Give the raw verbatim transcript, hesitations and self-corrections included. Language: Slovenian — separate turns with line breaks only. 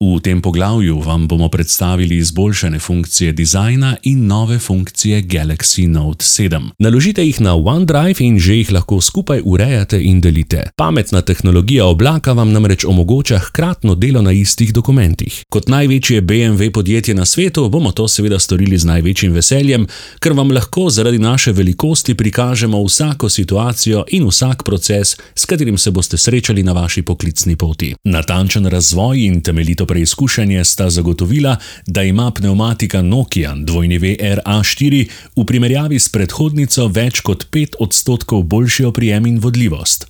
V tem poglavju vam bomo predstavili izboljšane funkcije dizajna in nove funkcije Galaxy Note sedem. Naložite jih na OneDrive in že jih lahko skupaj urejate in delite. Pametna tehnologija oblaka vam namreč omogoča hkratno delo na istih dokumentih. Kot največje B M W podjetje na svetu bomo to seveda storili z največjim veseljem, ker vam lahko zaradi naše velikosti prikažemo vsako situacijo in vsak proces, s katerim se boste srečali na vaši poklicni poti. Natančen razvoj in temeljito preizkušanje sta zagotovila, da ima pnevmatika Nokia W R A štiri v primerjavi s predhodnico več kot pet odstotkov boljši oprijem in vodljivost.